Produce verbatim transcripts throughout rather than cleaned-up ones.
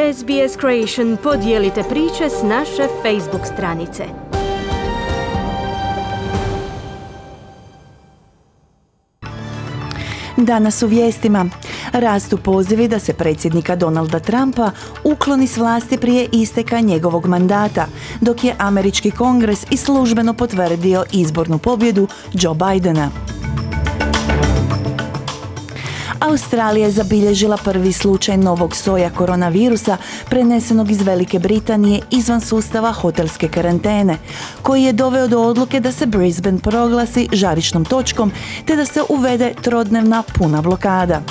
S B S Creation podijelite priče s naše Facebook stranice. Danas u vijestima rastu pozivi da se predsjednika Donalda Trumpa ukloni s vlasti prije isteka njegovog mandata, dok je američki kongres i službeno potvrdio izbornu pobjedu Joe Bidena. Australija je zabilježila prvi slučaj novog soja koronavirusa prenesenog iz Velike Britanije izvan sustava hotelske karantene, koji je doveo do odluke da se Brisbane proglasi žarišnom točkom te da se uvede trodnevna puna blokada.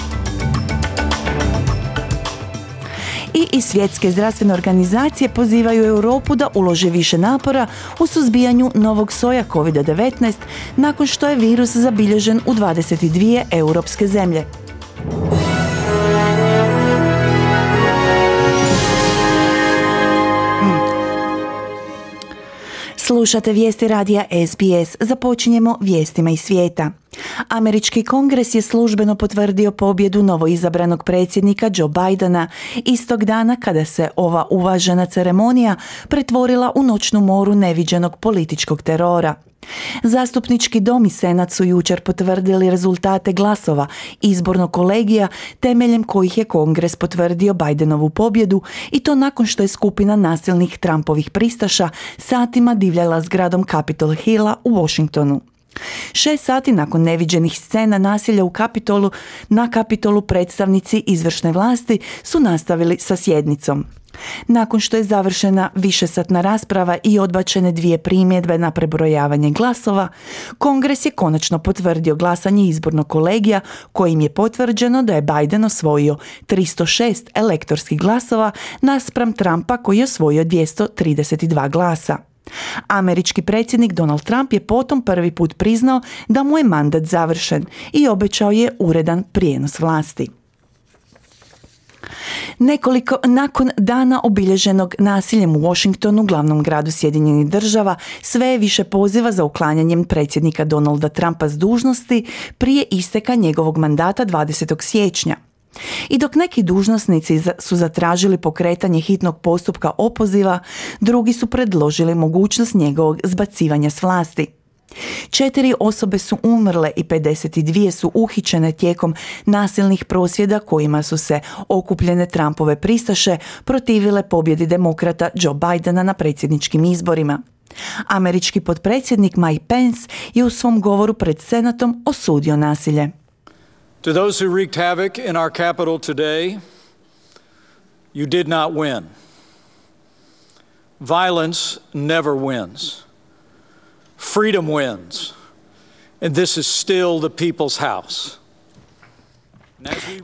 I iz Svjetske zdravstvene organizacije pozivaju Europu da uloži više napora u suzbijanju novog soja kovid devetnaest nakon što je virus zabilježen u dvadeset dvije europske zemlje. Slušate vijesti radija S B S. Započinjemo vijestima iz svijeta. Američki kongres je službeno potvrdio pobjedu novoizabranog predsjednika Joe Bidena istog dana kada se ova uvažena ceremonija pretvorila u noćnu moru neviđenog političkog terora. Zastupnički dom i senat su jučer potvrdili rezultate glasova izbornog kolegija temeljem kojih je kongres potvrdio Bidenovu pobjedu i to nakon što je skupina nasilnih Trumpovih pristaša satima divljala zgradom Capitol Hilla u Washingtonu. Šest sati nakon neviđenih scena nasilja u Kapitolu, na Kapitolu predstavnici izvršne vlasti su nastavili sa sjednicom. Nakon što je završena višesatna rasprava i odbačene dvije primjedbe na prebrojavanje glasova, Kongres je konačno potvrdio glasanje izbornog kolegija kojim je potvrđeno da je Biden osvojio tristo šest elektorskih glasova naspram Trumpa koji je osvojio dvjesto trideset dva glasa. Američki predsjednik Donald Trump je potom prvi put priznao da mu je mandat završen i obećao je uredan prijenos vlasti. Nekoliko nakon dana obilježenog nasiljem u Washingtonu, glavnom gradu Sjedinjenih Država, sve je više poziva za uklanjanjem predsjednika Donalda Trumpa s dužnosti prije isteka njegovog mandata dvadesetog siječnja. I dok neki dužnosnici su zatražili pokretanje hitnog postupka opoziva, drugi su predložili mogućnost njegovog zbacivanja s vlasti. Četiri osobe su umrle i pedeset dvije su uhićene tijekom nasilnih prosvjeda kojima su se okupljene Trumpove pristaše protivile pobjedi demokrata Joe Bidena na predsjedničkim izborima. Američki potpredsjednik Mike Pence je u svom govoru pred Senatom osudio nasilje. To those who wreaked havoc in our capital today, you did not win. Violence never wins. Freedom wins. And this is still the people's house.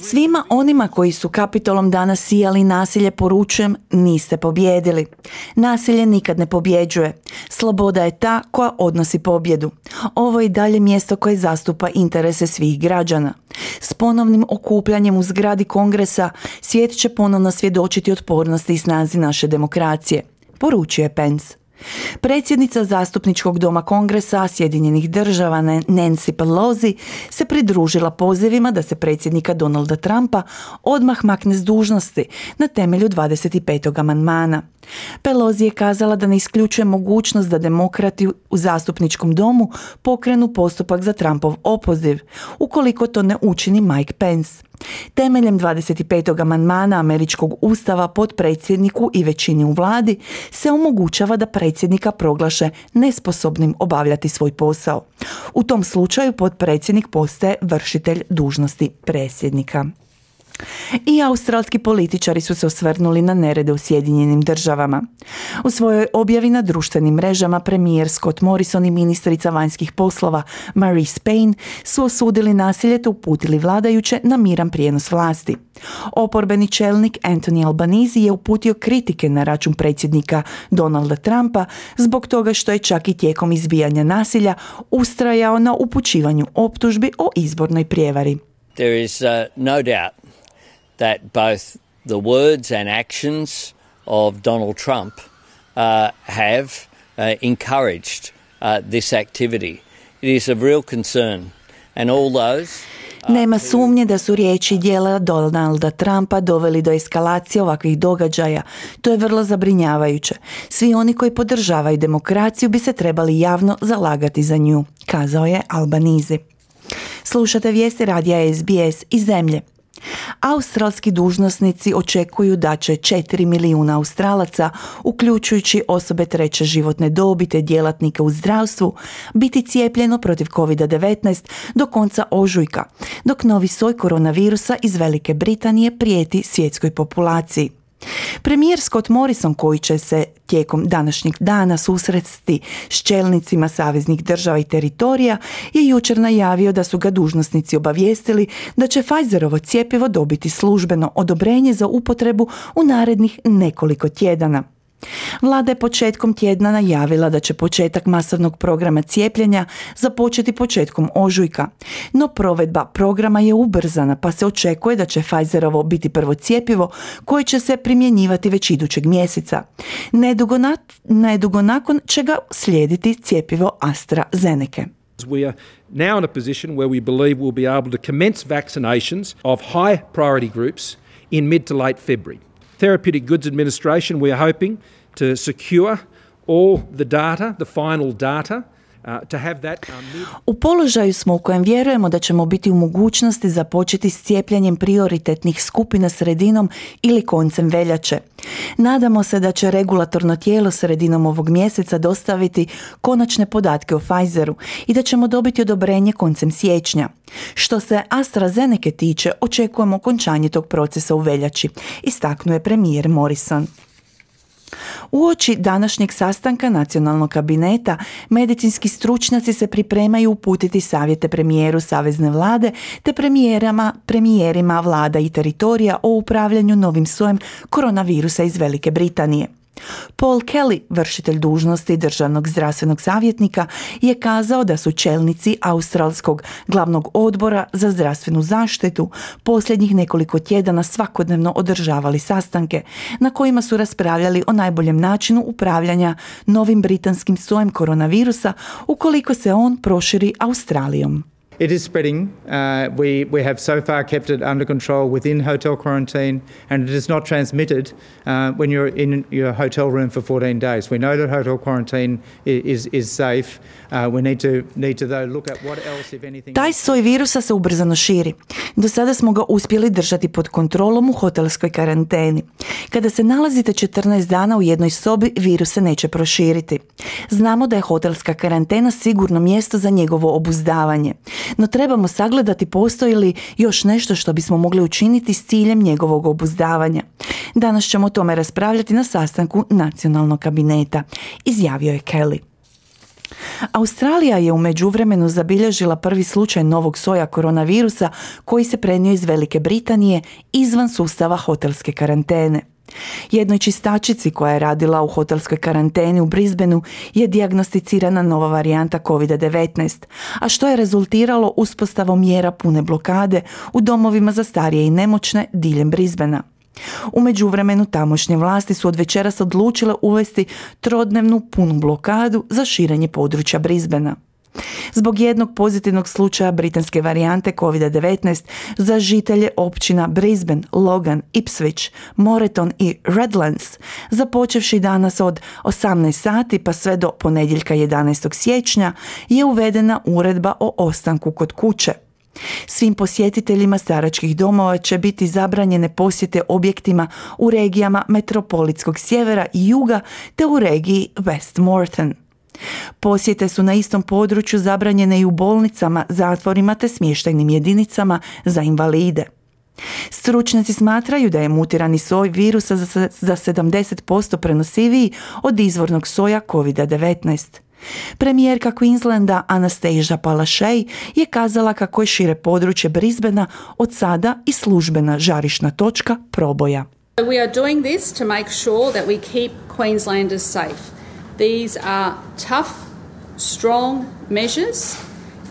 Svima onima koji su Kapitolom danas sijali nasilje poručujem, niste pobijedili. Nasilje nikad ne pobjeđuje. Sloboda je ta koja odnosi pobjedu. Ovo je i dalje mjesto koje zastupa interese svih građana. S ponovnim okupljanjem u zgradi Kongresa svijet će ponovno svjedočiti otpornosti i snazi naše demokracije, poručuje Pence. Predsjednica zastupničkog doma Kongresa Sjedinjenih Država Nancy Pelosi se pridružila pozivima da se predsjednika Donalda Trumpa odmah makne s dužnosti na temelju dvadeset petog amandmana. Pelosi je kazala da ne isključuje mogućnost da demokrati u zastupničkom domu pokrenu postupak za Trumpov opoziv, ukoliko to ne učini Mike Pence. Temeljem dvadeset petog amandmana američkog ustava potpredsjedniku i većini u vladi se omogućava da predsjednika proglaše nesposobnim obavljati svoj posao. U tom slučaju potpredsjednik postaje vršitelj dužnosti predsjednika. I australski političari su se osvrnuli na nerede u Sjedinjenim Državama. U svojoj objavi na društvenim mrežama premijer Scott Morrison i ministrica vanjskih poslova Marise Payne su osudili nasilje te uputili vladajuće na miran prijenos vlasti. Oporbeni čelnik Anthony Albanese je uputio kritike na račun predsjednika Donalda Trumpa zbog toga što je čak i tijekom izbijanja nasilja ustrajao na upućivanju optužbi o izbornoj prijevari. There is uh, no doubt that both the words and actions of Donald Trump uh, have uh, encouraged uh, this activity. It is of real concern, and all those Nema sumnje da su riječi i djela Donalda Trumpa doveli do eskalacije ovakvih događaja. To je vrlo zabrinjavajuće. Svi oni koji podržavaju demokraciju bi se trebali javno zalagati za nju, kazao je Albanese. Slušate vijesti radija S B S iz zemlje. Australski dužnosnici očekuju da će četiri milijuna Australaca, uključujući osobe treće životne dobi te djelatnike u zdravstvu, biti cijepljeno protiv covid devetnaest do konca ožujka, dok novi soj koronavirusa iz Velike Britanije prijeti svjetskoj populaciji. Premijer Scott Morrison, koji će se tijekom današnjeg dana susresti s čelnicima saveznih država i teritorija, je jučer najavio da su ga dužnosnici obavijestili da će Pfizerovo cjepivo dobiti službeno odobrenje za upotrebu u narednih nekoliko tjedana. Vlada je početkom tjedna najavila da će početak masovnog programa cijepljenja započeti početkom ožujka, no provedba programa je ubrzana pa se očekuje da će Pfizerovo biti prvo cjepivo koje će se primjenjivati već idućeg mjeseca. Nedugo, na, nedugo nakon će ga slijediti cjepivo AstraZeneca. We are now in a position where we believe we'll be able to commence vaccinations of high priority groups in mid to late February. Therapeutic Goods Administration, we are hoping to secure all the data, the final data, uh, to have that um, mid- U položaju smo u kojem vjerujemo da ćemo biti u mogućnosti započeti s cijepljenjem prioritetnih skupina sredinom ili koncem veljače. Nadamo se da će regulatorno tijelo sredinom ovog mjeseca dostaviti konačne podatke o Pfizeru i da ćemo dobiti odobrenje koncem siječnja. Što se AstraZeneca tiče, očekujemo okončanje tog procesa u veljači, istaknuo je premijer Morrison. Uoči današnjeg sastanka nacionalnog kabineta, medicinski stručnjaci se pripremaju uputiti savjete premijeru savezne vlade te premijerama, premijerima vlada i teritorija o upravljanju novim sojem koronavirusa iz Velike Britanije. Paul Kelly, vršitelj dužnosti državnog zdravstvenog savjetnika, je kazao da su čelnici Australskog glavnog odbora za zdravstvenu zaštitu posljednjih nekoliko tjedana svakodnevno održavali sastanke na kojima su raspravljali o najboljem načinu upravljanja novim britanskim sojem koronavirusa ukoliko se on proširi Australijom. It is spreading. Uh, we, we have so far kept it under control within hotel quarantine, and it is not transmitted uh, when you're in your hotel room for fourteen days. We know that hotel quarantine is, is safe. Uh, we need to, need to though look at what else, if anything... Taj soj virusa se ubrzano širi. Do sada smo ga uspjeli držati pod kontrolom u hotelskoj karanteni. Kada se nalazite četrnaest dana u jednoj sobi, virus se neće proširiti. Znamo da je hotelska karantena sigurno mjesto za njegovo obuzdavanje. No trebamo sagledati postoji li još nešto što bismo mogli učiniti s ciljem njegovog obuzdavanja. Danas ćemo o tome raspravljati na sastanku nacionalnog kabineta, izjavio je Kelly. Australija je u međuvremenu zabilježila prvi slučaj novog soja koronavirusa koji se prenio iz Velike Britanije izvan sustava hotelske karantene. Jednoj čistačici koja je radila u hotelskoj karanteni u Brisbaneu je dijagnosticirana nova varijanta covid devetnaest, a što je rezultiralo uspostavom mjera pune blokade u domovima za starije i nemoćne diljem Brisbanea. U međuvremenu tamošnje vlasti su od večeras odlučile uvesti trodnevnu punu blokadu za širenje područja Brisbanea. Zbog jednog pozitivnog slučaja britanske varijante covid devetnaest za žitelje općina Brisbane, Logan, Ipswich, Moreton i Redlands, započevši danas od osamnaest sati pa sve do ponedjeljka jedanaestog siječnja, je uvedena uredba o ostanku kod kuće. Svim posjetiteljima staračkih domova će biti zabranjene posjete objektima u regijama metropolitskog sjevera i juga te u regiji West Moreton. Posjete su na istom području zabranjene i u bolnicama, zatvorima te smještajnim jedinicama za invalide. Stručnjaci smatraju da je mutirani soj virusa za sedamdeset posto prenosiviji od izvornog soja covid devetnaest. Premijerka Queenslanda Anastasia Palaszczuk je kazala kako je šire područje Brisbanea od sada i službena žarišna točka proboja. We are doing this to make sure that we keep Queenslanders safe. These are tough, strong measures.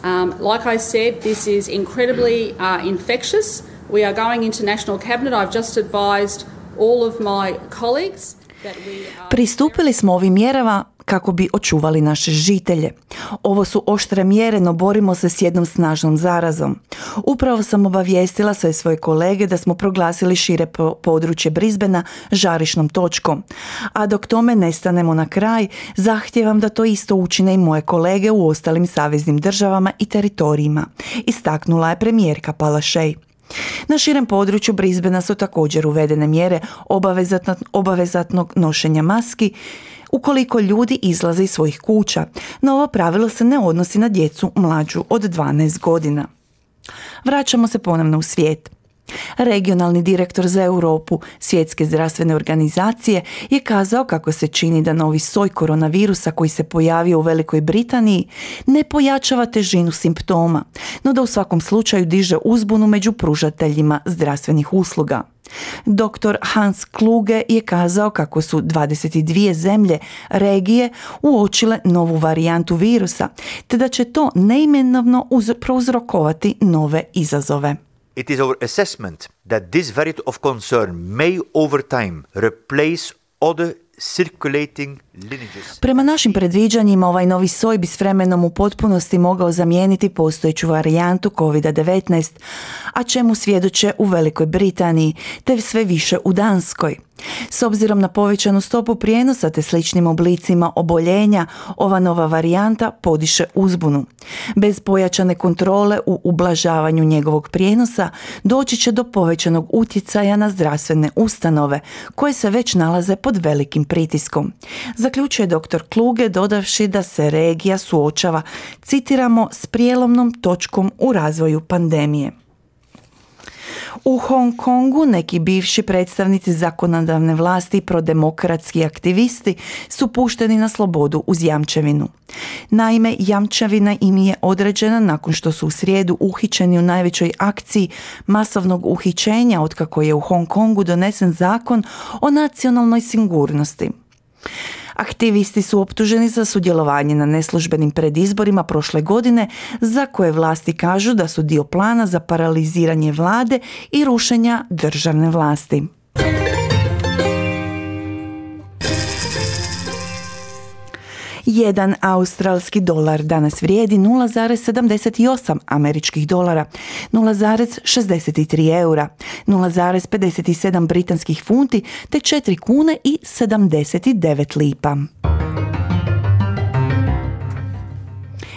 Um, like I said, this is incredibly uh, infectious. We are going into National Cabinet. I've just advised all of my colleagues that we are... Pristupili smo ovim mjerama kako bi očuvali naše žitelje. Ovo su oštre mjere, no borimo se s jednom snažnom zarazom. Upravo sam obavijestila sve svoje kolege da smo proglasili šire područje Brisbanea žarišnom točkom. A dok tome ne stanemo na kraj, zahtijevam da to isto učine i moje kolege u ostalim saveznim državama i teritorijima, istaknula je premijerka Palaszczuk. Na širem području Brisbanea su također uvedene mjere obavezatno, obavezatnog nošenja maski ukoliko ljudi izlaze iz svojih kuća, no ovo pravilo se ne odnosi na djecu mlađu od dvanaest godina. Vraćamo se ponovno u svijet. Regionalni direktor za Europu Svjetske zdravstvene organizacije je kazao kako se čini da novi soj koronavirusa koji se pojavio u Velikoj Britaniji ne pojačava težinu simptoma, no da u svakom slučaju diže uzbunu među pružateljima zdravstvenih usluga. doktor Hans Kluge je kazao kako su dvadeset dvije zemlje regije uočile novu varijantu virusa, te da će to neimenovno uz- prouzrokovati nove izazove. It is our assessment that this variant of concern may over time replace other circulating lineages. Prema našim predviđanjima, ovaj novi soj bi s vremenom u potpunosti mogao zamijeniti postojeću varijantu kovid devetnaest, a čemu svjedoče u Velikoj Britaniji, te sve više u Danskoj. S obzirom na povećanu stopu prijenosa te sličnim oblicima oboljenja, ova nova varijanta podiše uzbunu. Bez pojačane kontrole u ublažavanju njegovog prijenosa doći će do povećanog utjecaja na zdravstvene ustanove, koje se već nalaze pod velikim pritiskom. Zaključuje doktor Kluge dodavši da se regija suočava, citiramo, s prijelomnom točkom u razvoju pandemije. U Hong Kongu neki bivši predstavnici zakonodavne vlasti i prodemokratski aktivisti su pušteni na slobodu uz jamčevinu. Naime, jamčevina im je određena nakon što su u srijedu uhićeni u najvećoj akciji masovnog uhićenja otkako je u Hong Kongu donesen zakon o nacionalnoj sigurnosti. Aktivisti su optuženi za sudjelovanje na neslužbenim predizborima prošle godine, za koje vlasti kažu da su dio plana za paraliziranje vlade i rušenja državne vlasti. Jedan australski dolar danas vrijedi nula zarez sedamdeset osam američkih dolara, nula zarez šezdeset tri eura, nula zarez pedeset sedam britanskih funti te četiri kune i sedamdeset devet lipa.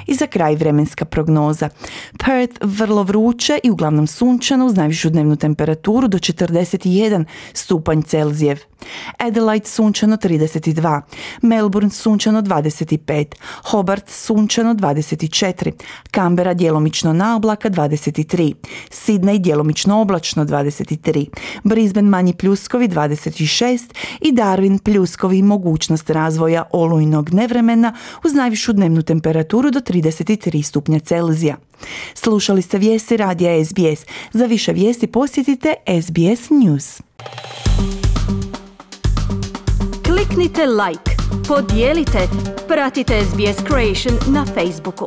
I za kraj vremenska prognoza. Perth vrlo vruće i uglavnom sunčano uz najvišu dnevnu temperaturu do četrdeset jedan stupanj Celzijev. Adelaide sunčano trideset dva, Melbourne sunčano dvadeset pet, Hobart sunčano dvadeset četiri, Canberra djelomično na oblaka dvadeset tri, Sydney djelomično oblačno dvadeset tri, Brisbane manji pljuskovi dvadeset šest i Darwin pljuskovi i mogućnost razvoja olujnog nevremena uz najvišu dnevnu temperaturu do trideset tri stupnja Celzija. Slušali ste vijesti radija S B S. Za više vijesti posjetite S B S News. Kliknite like, podijelite, pratite S B S Creation na Facebooku.